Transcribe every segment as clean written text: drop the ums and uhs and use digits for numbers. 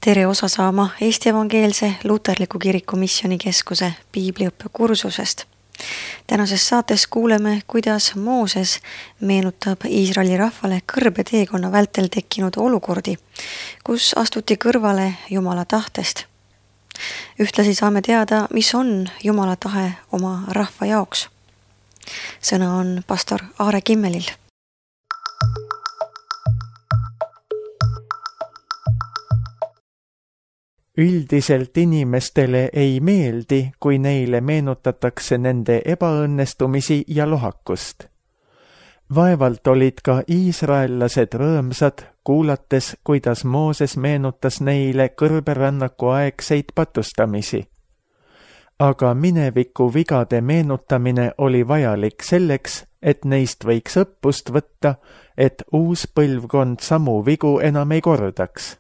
Tere osa saama Eesti Evangeelse Luterliku Kiriku Missioonikeskuse piibliõppekursusest. Tänases saates kuuleme, kuidas Mooses meenutab Iisraeli rahvale kõrbeteekonna vältel tekkinud olukordi, kus astuti kõrvale Jumala tahtest. Ühtlasi saame teada, mis on Jumala tahe oma rahva jaoks. Sõna on pastor Aare Kimmelil. Üldiselt inimestele ei meeldi, kui neile meenutatakse nende ebaõnnestumisi ja lohakust. Vaevalt olid ka iisraellased rõõmsad, kuulates, kuidas Mooses meenutas neile kõrberännaku aegseid patustamisi. Aga mineviku vigade meenutamine oli vajalik selleks, et neist võiks õppust võtta, et uus põlvkond samu vigu enam ei kordaks.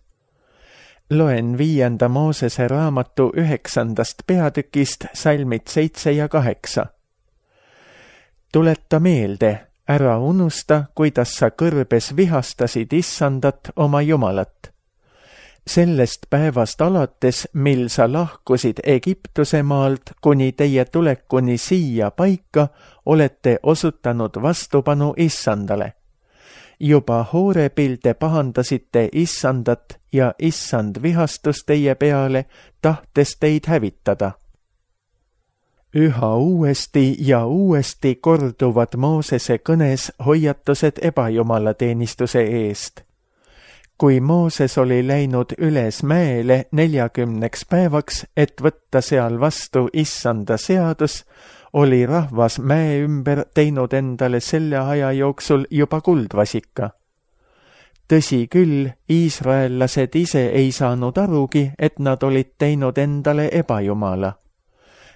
Loen 5. Moosese raamatu 9. peatükist salmid 7 ja 8. Tuleta meelde, ära unusta, kuidas sa kõrbes vihastasid Issandat oma Jumalat. Sellest päevast alates, mil sa lahkusid Egiptuse maalt kuni teie tulekuni siia paika, olete osutanud vastupanu Issandale. Juba Hoorebil te pahandasite Issandat ja Issand vihastus teie peale, tahtes teid hävitada. Üha uuesti ja uuesti korduvad Moosese kõnes hoiatused ebajumalateenistuse eest. Kui Mooses oli läinud üles mäele 40 päevaks, et võtta seal vastu Issanda seadus, oli rahvas mäe ümber teinud endale selle aja jooksul juba kuldvasika. Tõsi küll, iisraellased ise ei saanud arugi, et nad olid teinud endale ebajumala.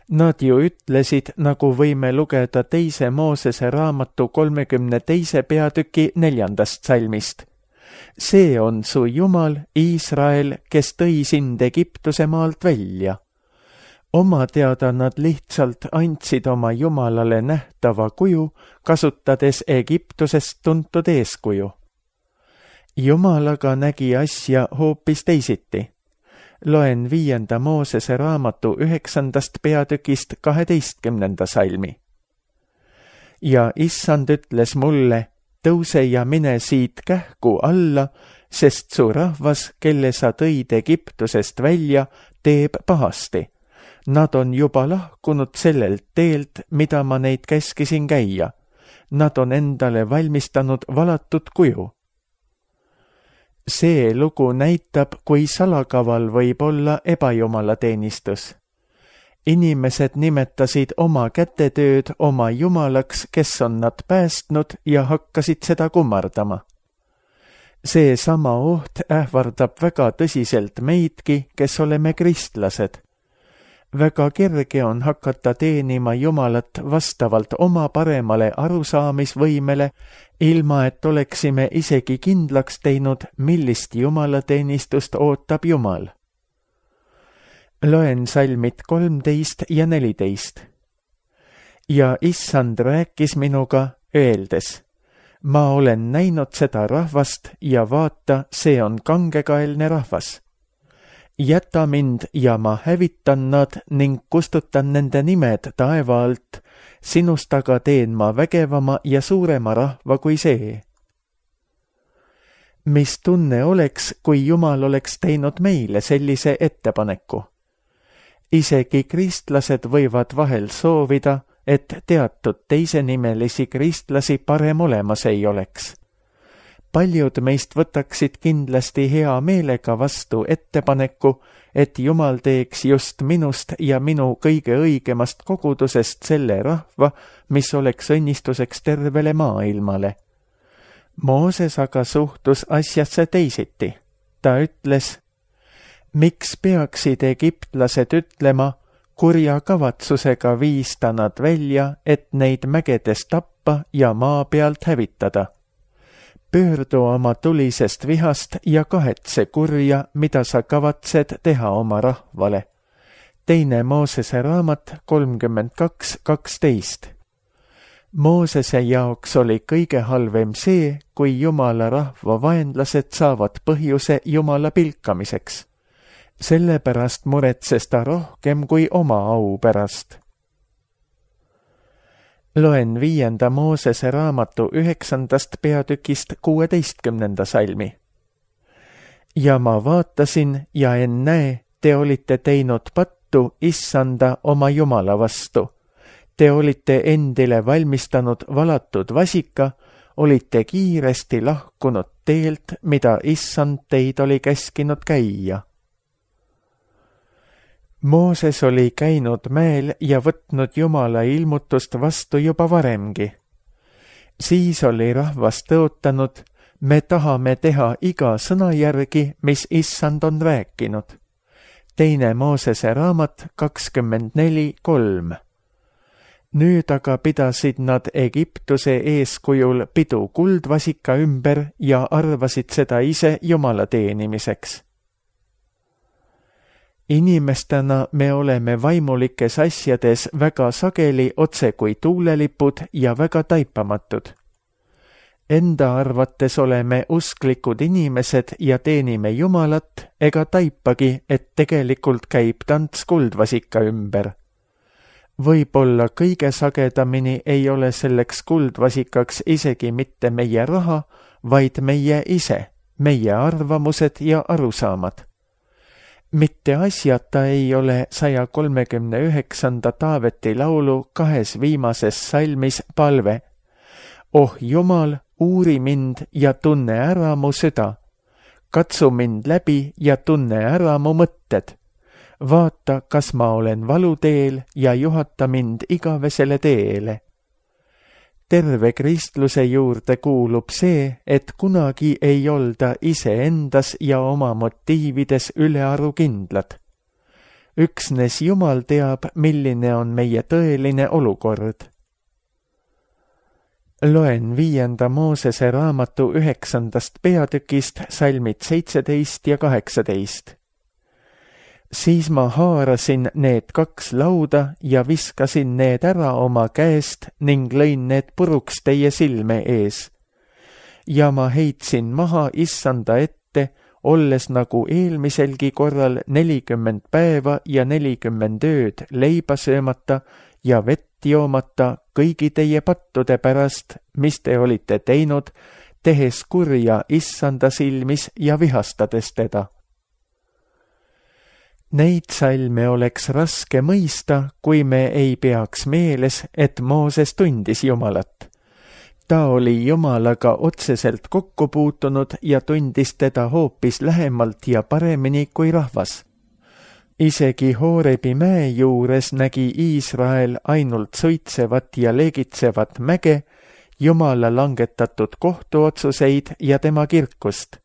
Nad ju ütlesid, nagu võime lugeda 2. Moosese raamatu 32. peatüki 4. salmist. See on su Jumal, Iisrael, kes tõi sind Egiptuse maalt välja. Oma teada nad lihtsalt andsid oma Jumalale nähtava kuju, kasutades Egiptusest tuntud eeskuju. Jumal aga nägi asja hoopis teisiti. Loen 5. Moosese raamatu 9. peatükist 12. salmi. Ja Issand ütles mulle, tõuse ja mine siit kähku alla, sest su rahvas, kelle sa tõid Egiptusest välja, teeb pahasti. Nad on juba lahkunud sellelt teelt, mida ma neid käskisin käia. Nad on endale valmistanud valatud kuju. See lugu näitab, kui salakaval võib olla ebajumalateenistus. Inimesed nimetasid oma kätetööd oma jumalaks, kes on nad päästnud ja hakkasid seda kummardama. See sama oht ähvardab väga tõsiselt meidki, kes oleme kristlased. Väga kerge on hakata teenima Jumalat vastavalt oma paremale arusaamisvõimele, ilma et oleksime isegi kindlaks teinud, millist jumalateenistust ootab Jumal. Loen salmid 13 ja 14. Ja Issand rääkis minuga, öeldes, ma olen näinud seda rahvast ja vaata, see on kangekaelne rahvas. Jäta mind ja ma hävitan nad ning kustutan nende nimed taeva alt, sinust aga teen ma vägevama ja suurema rahva kui see. Mis tunne oleks, kui Jumal oleks teinud meile sellise ettepaneku? Isegi kristlased võivad vahel soovida, et teatud teisenimelisi kristlasi parem olemas ei oleks. Paljud meist võtaksid kindlasti hea meelega vastu ettepaneku, et Jumal teeks just minust ja minu kõige õigemast kogudusest selle rahva, mis oleks õnnistuseks tervele maailmale. Mooses aga suhtus asjasse teisiti. Ta ütles, miks peaksid egiptlased ütlema, kurja kavatsusega viis ta nad välja, et neid mägedes tappa ja maa pealt hävitada. Pöördu oma tulisest vihast ja kahetse kurja, mida sa kavatsed teha oma rahvale. 2. Moosese raamat 32:12. Moosese jaoks oli kõige halvem see, kui Jumala rahva vaenlased saavad põhjuse Jumala pilkamiseks. Sellepärast muretses ta rohkem kui oma au pärast. Loen 5. Moosese raamatu 9. peatükist 16. salmi. Ja ma vaatasin ja ennäe, te olite teinud pattu Issanda oma Jumala vastu. Te olite endile valmistanud valatud vasika, olite kiiresti lahkunud teelt, mida Issand teid oli käskinud käia. Mooses oli käinud mäel ja võtnud Jumala ilmutust vastu juba varemgi. Siis oli rahvas tõotanud, me tahame teha iga sõna järgi, mis Issand on rääkinud. 2. Moosese raamat 24:3. Nüüd aga pidasid nad Egiptuse eeskujul pidu kuldvasika ümber ja arvasid seda ise Jumala teenimiseks. Inimestena me oleme vaimulikes asjades väga sageli otse kui tuulelipud ja väga taipamatud. Enda arvates oleme usklikud inimesed ja teenime Jumalat ega taipagi, et tegelikult käib tants kuldvasika ümber. Võib-olla kõige sagedamini ei ole selleks kuldvasikaks isegi mitte meie raha, vaid meie ise, meie arvamused ja arusaamad. Mitte asjata ei ole 139. Taaveti laulu 2 viimases salmis palve. Oh Jumal, uuri mind ja tunne ära mu süda. Katsu mind läbi ja tunne ära mu mõtted. Vaata, kas ma olen valuteel ja juhata mind igavesele teele. Terve kristluse juurde kuulub see, et kunagi ei olda iseendas ja oma motiivides ülearu kindlad. Üksnes Jumal teab, milline on meie tõeline olukord. Loen 5. Moosese raamatu 9. peatükist salmid 17 ja 18. Siis ma haarasin need 2 lauda ja viskasin need ära oma käest ning lõin need puruks teie silme ees. Ja ma heitsin maha Issanda ette, olles nagu eelmiselgi korral 40 päeva ja 40 ööd leiba söömata ja vett joomata kõigi teie pattude pärast, mis te olite teinud, tehes kurja Issanda silmis ja vihastades teda. Neid salme oleks raske mõista, kui me ei peaks meeles, et Mooses tundis Jumalat. Ta oli Jumalaga otseselt kokku puutunud ja tundis teda hoopis lähemalt ja paremini kui rahvas. Isegi Hoorebi mäe juures nägi Iisrael ainult suitsevat ja leegitsevat mäge, Jumala langetatud kohtuotsuseid ja tema kirkust.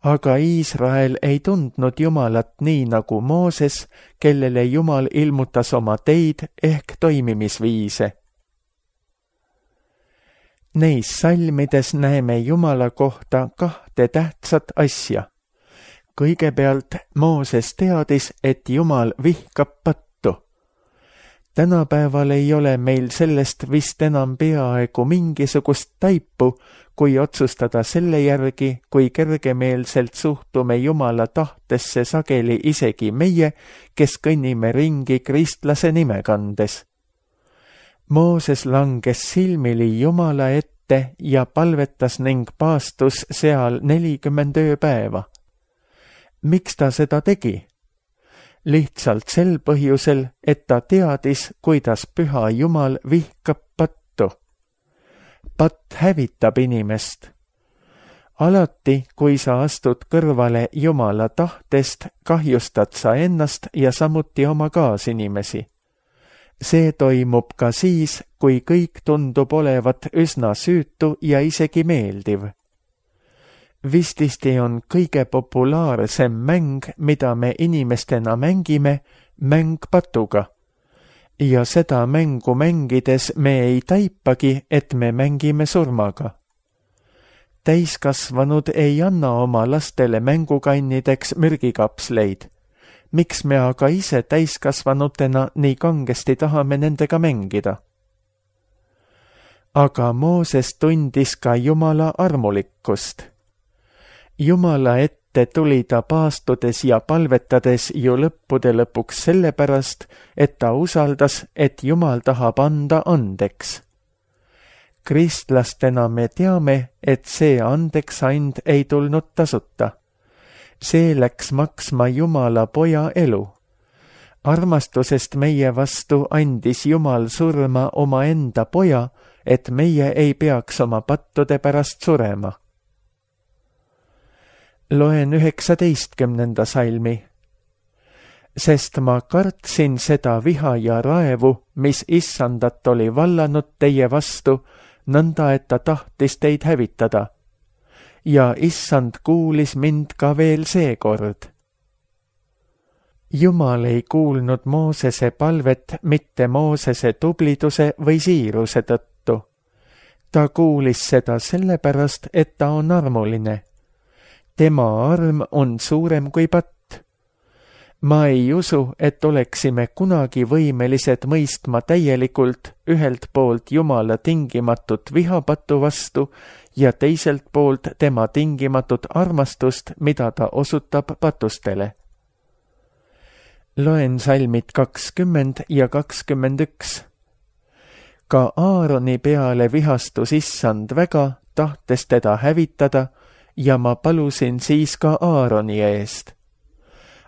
Aga Iisrael ei tundnud Jumalat nii nagu Mooses, kellele Jumal ilmutas oma teid ehk toimimisviise. Neis salmides näeme Jumala kohta 2 tähtsat asja. Kõigepealt Mooses teadis, et Jumal vihkab pattu. Tänapäeval ei ole meil sellest vist enam peaaegu mingisugust taipu, kui otsustada selle järgi, kui kergemeelselt suhtume Jumala tahtesse sageli isegi meie, kes kõnnime ringi kristlase nime kandes. Mooses langes silmili Jumala ette ja palvetas ning paastus seal 40 ööpäeva. Miks ta seda tegi? Lihtsalt sel põhjusel, et ta teadis, kuidas püha Jumal vihkab pattu. Patt hävitab inimest. Alati, kui sa astud kõrvale Jumala tahtest, kahjustad sa ennast ja samuti oma kaasinimesi. See toimub ka siis, kui kõik tundub olevat üsna süütu ja isegi meeldiv. Vististi on kõige populaarsem mäng, mida me inimestena mängime, mäng patuga. Ja seda mängu mängides me ei taipagi, et me mängime surmaga. Täiskasvanud ei anna oma lastele mängukannideks mürgikapsleid. Miks me aga ise täiskasvanutena nii kangesti tahame nendega mängida? Aga Mooses tundis ka Jumala armulikkust. Jumala ette ette tuli ta paastudes ja palvetades ju lõppude lõpuks sellepärast, et ta usaldas, et Jumal tahab anda andeks. Kristlastena me teame, et see andeksand ei tulnud tasuta. See läks maksma Jumala poja elu. Armastusest meie vastu andis Jumal surma omaenda poja, et meie ei peaks oma pattude pärast surema. Loen 19. salmi. Sest ma kartsin seda viha ja raevu, mis issandat oli vallanud teie vastu, nõnda et ta tahtis teid hävitada. Ja issand kuulis mind ka veel seekord. Jumal ei kuulnud Moosese palvet mitte Moosese tubliduse või siiruse tõttu. Ta kuulis seda sellepärast, et ta on armuline. Tema arm on suurem kui patt. Ma ei usu, et oleksime kunagi võimelised mõistma täielikult ühelt poolt Jumala tingimatut vihapatu vastu ja teiselt poolt tema tingimatut armastust, mida ta osutab patustele. Loen salmid 20 ja 21. Ka Aaroni peale vihastus issand väga, tahtes teda hävitada, ja ma palusin siis ka Aaroni eest.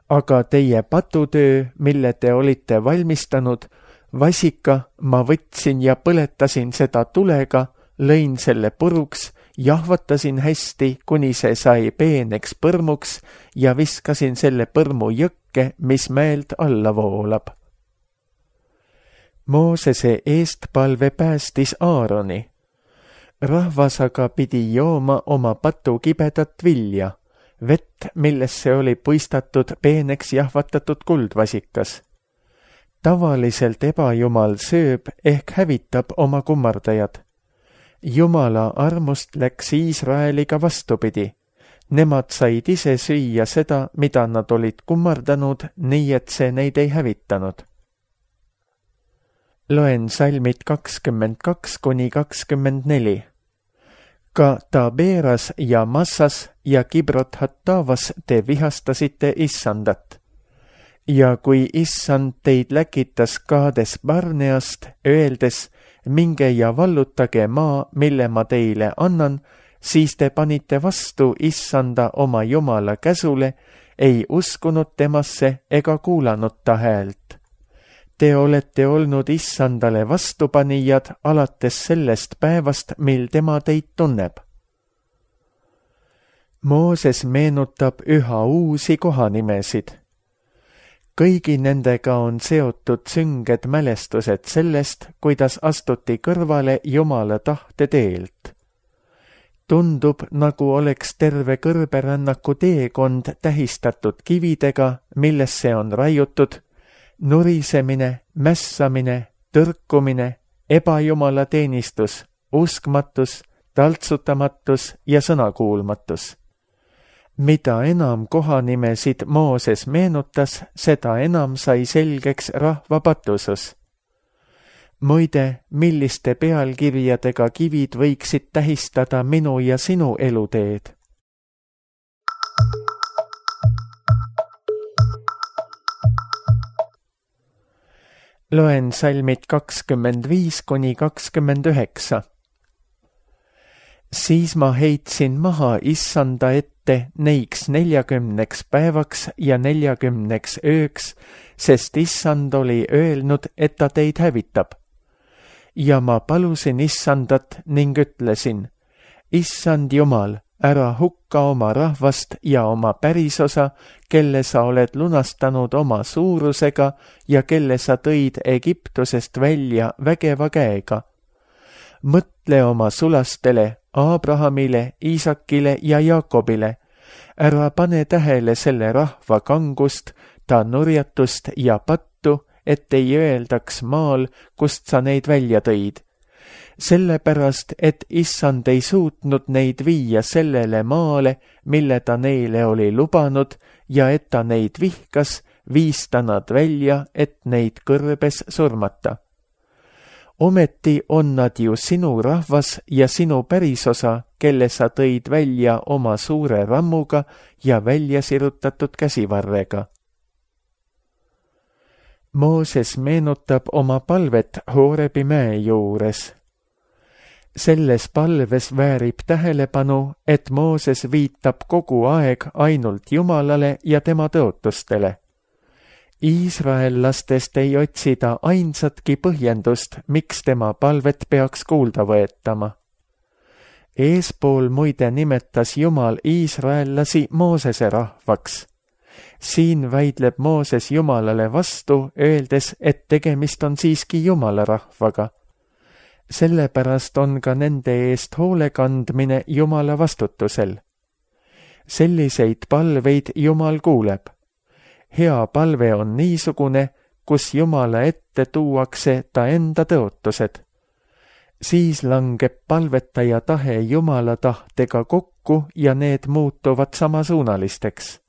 Aga teie patutöö, mille te olite valmistanud, vasika ma võtsin ja põletasin seda tulega, lõin selle puruks, jahvatasin hästi, kuni see sai peeneks põrmuks ja viskasin selle põrmu jõkke, mis mäelt alla voolab. Moosese eestpalve päästis Aaroni. Rahvas aga pidi jooma oma patu kibedat vilja, vett, millesse oli puistatud peeneks jahvatatud kuldvasikas. Tavaliselt ebajumal sööb ehk hävitab oma kummardajad. Jumala armust läks Iisraeliga vastupidi. Nemad said ise süüa seda, mida nad olid kummardanud, nii et see neid ei hävitanud. Loen salmid 22 kuni 24. Ka Taberas ja Massas ja Kibrot Hattavas te vihastasite issandat. Ja kui issand teid läkitas Kaades Barneast, öeldes, minge ja vallutage maa, mille ma teile annan, siis te panite vastu issanda oma Jumala käsule, ei uskunud temasse ega kuulanud ta häält. Te olete olnud issandale vastupanijad alates sellest päevast, mil tema teid tunneb. Mooses meenutab üha uusi kohanimesid. Kõigi nendega on seotud sünged mälestused sellest, kuidas astuti kõrvale Jumala tahte teelt. Tundub, nagu oleks terve kõrberännaku teekond tähistatud kividega, millesse on raiutud nurisemine, mässamine, tõrkumine, ebajumala teenistus, uskmatus, taltsutamatus ja sõnakuulmatus. Mida enam kohanimesid Mooses meenutas, seda enam sai selgeks rahva patusus. Muide, milliste pealkirjadega kivid võiksid tähistada minu ja sinu eluteed? Loen salmid 25 kuni 29. Siis ma heitsin maha issanda ette neiks 40 päevaks ja 40 ööks, sest issand oli öelnud, et ta teid hävitab. Ja ma palusin issandat ning ütlesin, issand Jumal, ära hukka oma rahvast ja oma pärisosa, kelle sa oled lunastanud oma suurusega ja kelle sa tõid Egiptusest välja vägeva käega. Mõtle oma sulastele, Abrahamile, Iisakile ja Jaakobile. Ära pane tähele selle rahva kangust, ta nurjatust ja pattu, et ei öeldaks maal, kust sa neid välja tõid. Sellepärast, et issand ei suutnud neid viia sellele maale, mille ta neile oli lubanud, ja et ta neid vihkas, viis ta nad välja, et neid kõrbes surmata. Ometi on nad ju sinu rahvas ja sinu pärisosa, kelle sa tõid välja oma suure rammuga ja välja sirutatud käsivarrega. Mooses meenutab oma palvet Horebi mäe juures. Selles palves väärib tähelepanu, et Mooses viitab kogu aeg ainult Jumalale ja tema tõotustele. Iisraellastest ei otsida ainsatki põhjendust, miks tema palvet peaks kuulda võetama. Eespool muide nimetas Jumal iisraellasi Moosese rahvaks. Siin väidleb Mooses Jumalale vastu, öeldes, et tegemist on siiski Jumala rahvaga. Sellepärast on ka nende eest hoole kandmine Jumala vastutusel. Selliseid palveid Jumal kuuleb. Hea palve on niisugune, kus Jumala ette tuuakse ta enda tõotused. Siis langeb palvetaja tahe Jumala tahtega kokku ja need muutuvad samasuunalisteks.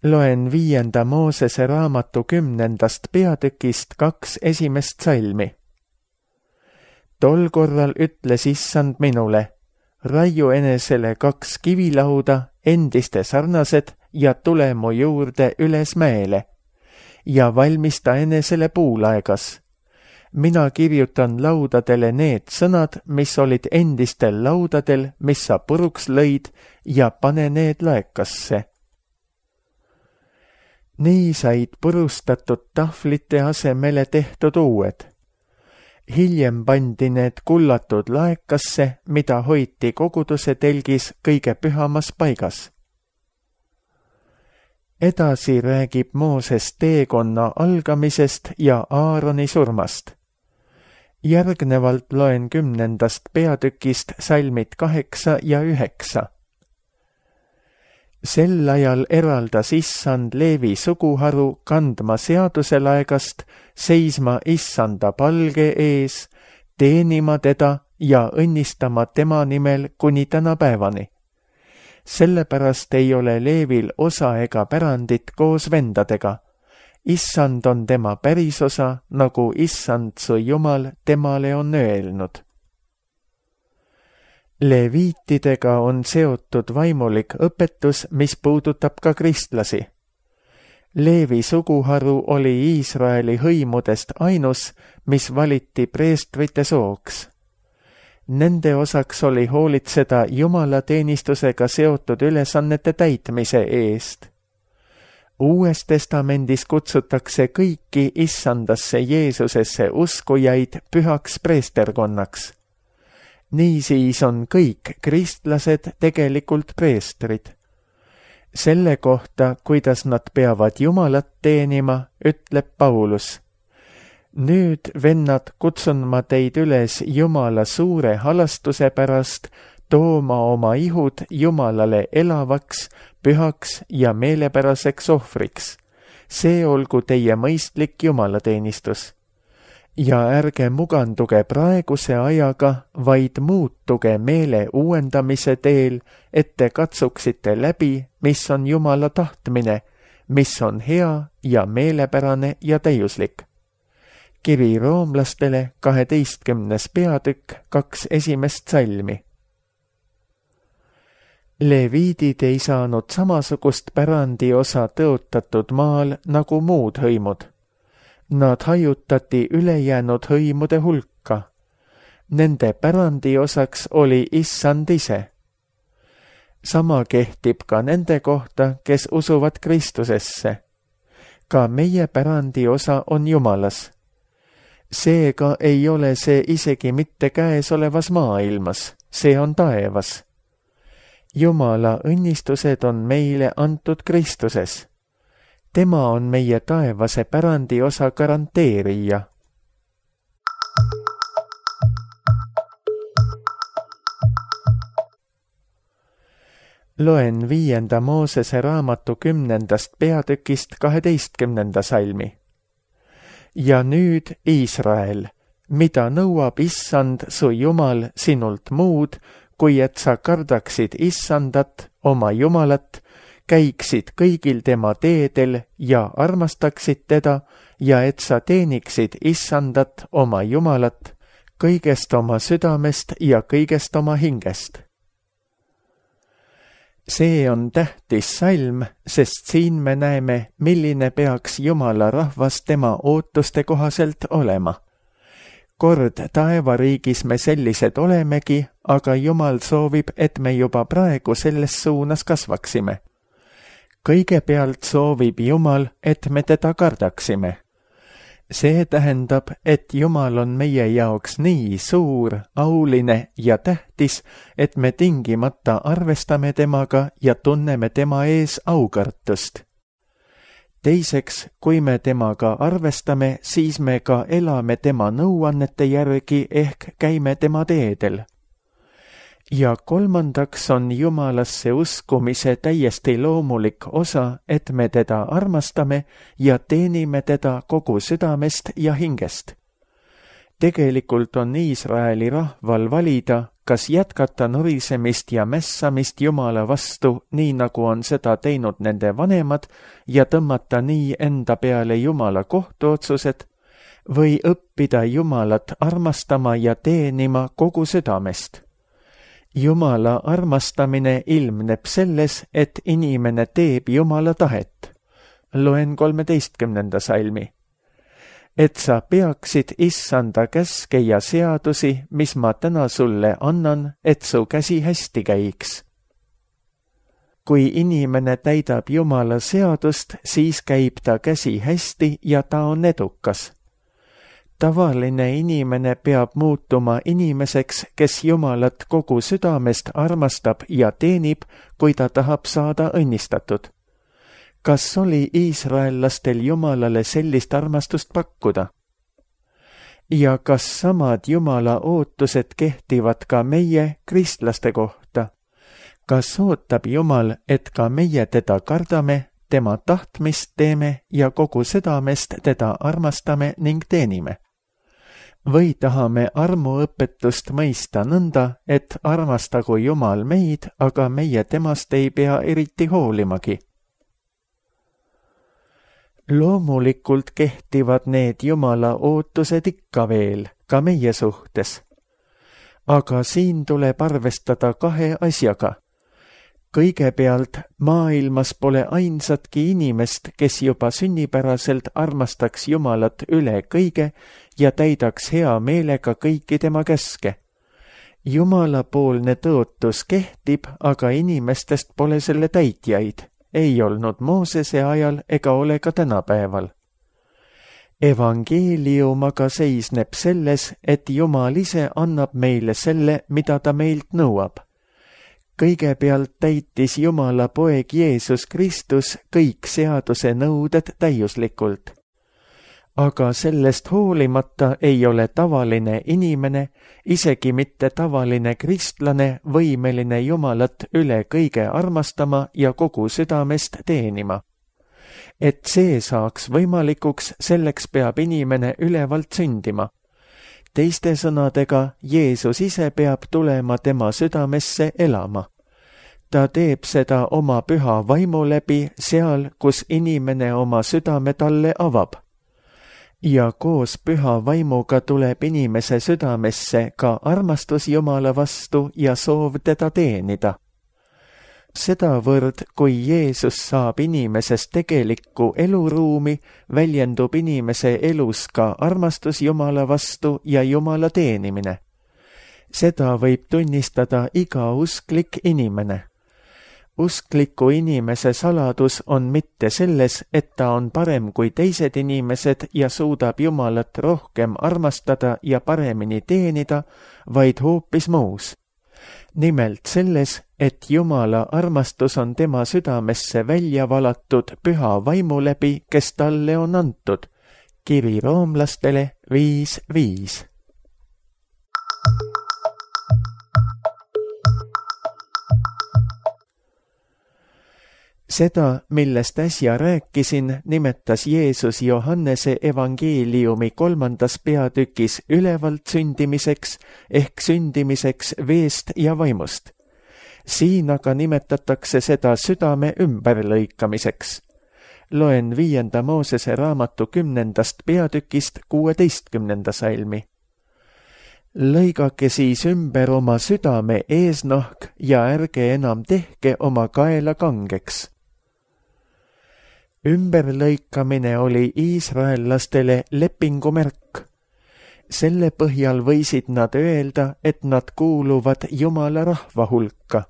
Loen 5. Moosese raamatu 10. peatükist 2 esimest salmi. Tol korral ütles Issand minule, raiu enesele 2 kivilauda, endiste sarnased, ja tule mu juurde üles mäele ja valmista enesele puulaegas. Mina kirjutan laudadele need sõnad, mis olid endistel laudadel, mis sa puruks lõid, ja pane need laekasse. Nii said purustatud tahvlite asemele tehtud uued. Hiljem pandi need kullatud laekasse, mida hoiti koguduse telgis kõige pühamas paigas. Edasi räägib Mooses teekonna algamisest ja Aaroni surmast. Järgnevalt loen 10. peatükist salmid 8 ja 9. Sel ajal eraldas Issand Leevi suguharu kandma seaduselaegast, seisma Issanda palge ees, teenima teda ja õnnistama tema nimel kuni tänapäevani. Sellepärast ei ole Leevil osa ega pärandit koos vendadega. Issand on tema pärisosa, nagu Issand su Jumal temale on öelnud. Leviitidega on seotud vaimulik õpetus, mis puudutab ka kristlasi. Leevi suguharu oli Iisraeli hõimudest ainus, mis valiti preestrite sooks. Nende osaks oli hoolitseda jumalateenistusega seotud ülesannete täitmise eest. Uues testamendis kutsutakse kõiki Issandasse Jeesusesse uskujaid pühaks preesterkonnaks. Niisiis on kõik kristlased tegelikult preestrid. Selle kohta, kuidas nad peavad Jumalat teenima, ütleb Paulus. Nüüd, vennad, kutsun ma teid üles Jumala suure halastuse pärast tooma oma ihud Jumalale elavaks, pühaks ja meelepäraseks ohvriks. See olgu teie mõistlik jumalateenistus. Ja ärge muganduge praeguse ajaga, vaid muutuge meele uuendamise teel, et te katsuksite läbi, mis on Jumala tahtmine, mis on hea ja meelepärane ja täiuslik. Kiri roomlastele 12. peatükk 2 esimest salmi. Leviidid ei saanud samasugust pärandiosa tõotatud maal nagu muud hõimud. Nad hajutati ülejäänud hõimude hulka. Nende pärandiosaks oli Issand ise. Sama kehtib ka nende kohta, kes usuvad Kristusesse. Ka meie pärandiosa on Jumalas. Seega ei ole see isegi mitte käesolevas maailmas, see on taevas. Jumala õnnistused on meile antud Kristuses. Tema on meie taevase pärandiosa garanteerija. Loen 5. Moosese raamatu 10. peatükist 12. salmi. Ja nüüd, Iisrael, mida nõuab Issand su Jumal sinult muud, kui et sa kardaksid Issandat, oma Jumalat, käiksid kõigil tema teedel ja armastaksid teda ja et sa teeniksid Issandat oma Jumalat kõigest oma südamest ja kõigest oma hingest. See on tähtis salm, sest siin me näeme, milline peaks Jumala rahvas tema ootuste kohaselt olema. Kord taevariigis me sellised olemegi, aga Jumal soovib, et me juba praegu selles suunas kasvaksime. Kõigepealt soovib Jumal, et me teda kardaksime. See tähendab, et Jumal on meie jaoks nii suur, auline ja tähtis, et me tingimata arvestame temaga ja tunneme tema ees aukartust. Teiseks, kui me temaga arvestame, siis me ka elame tema nõuannete järgi ehk käime tema teedel. Ja kolmandaks on Jumalasse uskumise täiesti loomulik osa, et me teda armastame ja teenime teda kogu südamest ja hingest. Tegelikult on Iisraeli rahval valida, kas jätkata norisemist ja mässamist Jumala vastu, nii nagu on seda teinud nende vanemad, ja tõmmata nii enda peale Jumala kohtuotsused, või õppida Jumalat armastama ja teenima kogu südamest. Jumala armastamine ilmneb selles, et inimene teeb Jumala tahet. Loen 13. salmi. Et sa peaksid Issanda käske ja seadusi, mis ma täna sulle annan, et su käsi hästi käiks. Kui inimene täidab Jumala seadust, siis käib ta käsi hästi ja ta on edukas. Tavaline inimene peab muutuma inimeseks, kes Jumalat kogu südamest armastab ja teenib, kui ta tahab saada õnnistatud. Kas oli iisraellastel Jumalale sellist armastust pakkuda? Ja kas samad Jumala ootused kehtivad ka meie kristlaste kohta? Kas ootab Jumal, et ka meie teda kardame, tema tahtmist teeme ja kogu südamest teda armastame ning teenime? Või tahame armuõpetust mõista nõnda, et armastagu Jumal meid, aga meie temast ei pea eriti hoolimagi? Loomulikult kehtivad need Jumala ootused ikka veel, ka meie suhtes. Aga siin tuleb arvestada kahe asjaga. Kõigepealt, maailmas pole ainsatki inimest, kes juba sünnipäraselt armastaks Jumalat üle kõige ja täidaks hea meelega kõiki tema käske. Jumalapoolne tõotus kehtib, aga inimestest pole selle täitjaid. Ei olnud Moosese ajal ega ole ka tänapäeval. Evangeelium aga seisneb selles, et Jumal ise annab meile selle, mida ta meilt nõuab. Kõigepealt täitis Jumala poeg Jeesus Kristus kõik seaduse nõuded täiuslikult. Aga sellest hoolimata ei ole tavaline inimene, isegi mitte tavaline kristlane, võimeline Jumalat üle kõige armastama ja kogu südamest teenima. Et see saaks võimalikuks, selleks peab inimene ülevalt sündima. Teiste sõnadega, Jeesus ise peab tulema tema südamesse elama. Ta teeb seda oma püha vaimu läbi seal, kus inimene oma südame talle avab. Ja koos püha vaimuga tuleb inimese südamesse ka armastus Jumala vastu ja soov teda teenida. Sedavõrd, kui Jeesus saab inimesest tegelikku eluruumi, väljendub inimese elus ka armastus Jumala vastu ja Jumala teenimine. Seda võib tunnistada iga usklik inimene. Uskliku inimese saladus on mitte selles, et ta on parem kui teised inimesed ja suudab Jumalat rohkem armastada ja paremini teenida, vaid hoopis muus. Nimelt selles, et Jumala armastus on tema südamesse välja valatud püha vaimu läbi, kes talle on antud. Kiri roomlastele 5:5. Seda, millest äsja rääkisin, nimetas Jeesus Johannese evangeeliumi 3. peatükis ülevalt sündimiseks ehk sündimiseks veest ja vaimust. Siin aga nimetatakse seda südame ümberlõikamiseks. Loen 5. Moosese raamatu 10. peatükist 16. salmi. Lõigake siis ümber oma südame eesnahk ja ärge enam tehke oma kaela kangeks. Ümberlõikamine oli iisraellastele lepingumärk. Selle põhjal võisid nad öelda, et nad kuuluvad Jumala rahva hulka.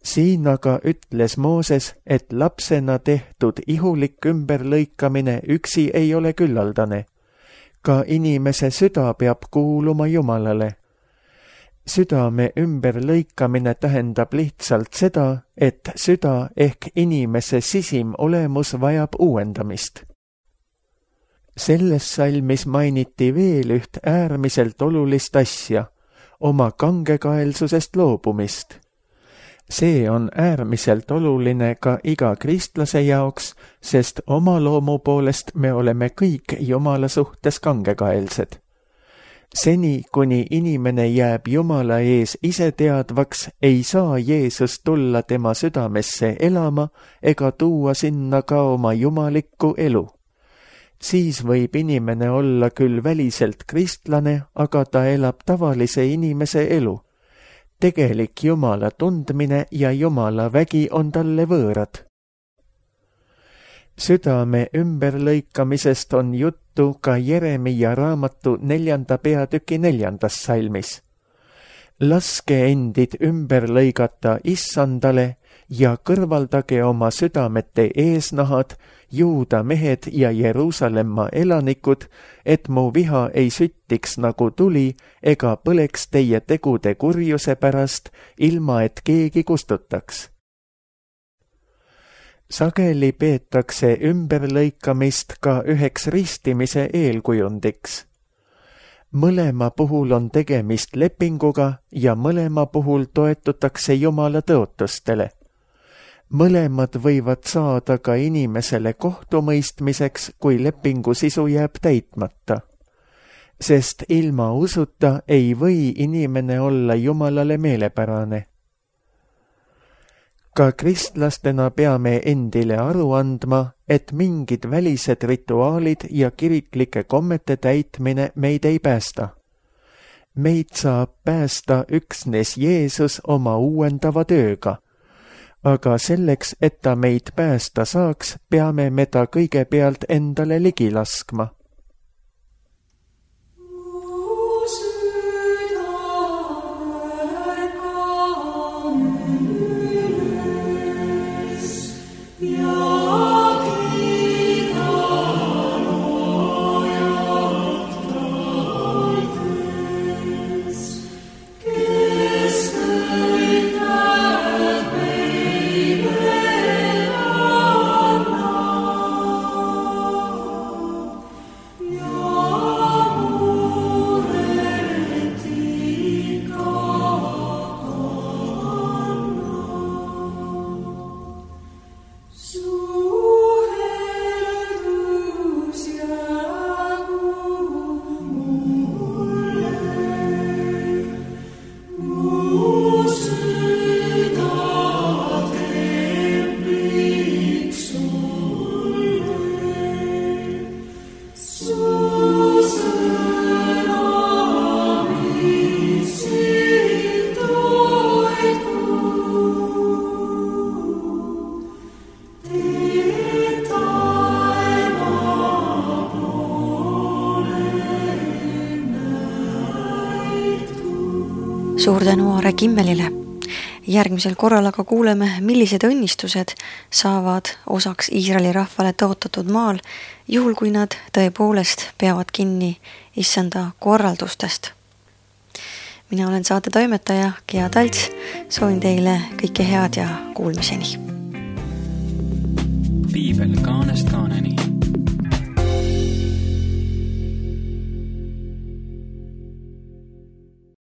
Siin aga ütles Mooses, et lapsena tehtud ihulik ümberlõikamine üksi ei ole küllaldane. Ka inimese süda peab kuuluma Jumalale. Südame ümberlõikamine tähendab lihtsalt seda, et süda ehk inimese sisim olemus vajab uuendamist. Selles salmis mainiti veel üht äärmiselt olulist asja, oma kangekaelsusest loobumist. See on äärmiselt oluline ka iga kristlase jaoks, sest oma loomu poolest me oleme kõik Jumala suhtes kangekaelsed. Seni, kuni inimene jääb Jumala ees iseteadvaks, ei saa Jeesus tulla tema südamesse elama ega tuua sinna ka oma jumalikku elu. Siis võib inimene olla küll väliselt kristlane, aga ta elab tavalise inimese elu. Tegelik Jumala tundmine ja Jumala vägi on talle võõrad. Südame ümberlõikamisest on juttu ka Jeremia raamatu 4. peatüki 4. salmis. Laske endid ümber lõigata Issandale ja kõrvaldage oma südamete eesnahad, Juuda mehed ja Jeruusalemma elanikud, et mu viha ei süttiks nagu tuli ega põleks teie tegude kurjuse pärast, ilma et keegi kustutaks. Sageli peetakse ümberlõikamist ka üheks ristimise eelkujundiks. Mõlema puhul on tegemist lepinguga ja mõlema puhul toetutakse Jumala tõotustele. Mõlemad võivad saada ka inimesele kohtumõistmiseks, kui lepingu sisu jääb täitmata. Sest ilma usuta ei või inimene olla Jumalale meelepärane. Ka kristlastena peame endile aru andma, et mingid välised rituaalid ja kiriklike kommete täitmine meid ei päästa. Meid saab päästa üksnes Jeesus oma uuendava tööga. Aga selleks, et ta meid päästa saaks, peame me ta kõigepealt endale ligi laskma. Suur tänu Aare Kimmelile. Järgmisel korral aga kuuleme, millised õnnistused saavad osaks Iisraeli rahvale tõotatud maal, juhul kui nad tõepoolest peavad kinni Issanda korraldustest. Mina olen saate toimetaja Gea Talts, soovin teile kõike head ja kuulmiseni. Piibel kaanest kaaneni.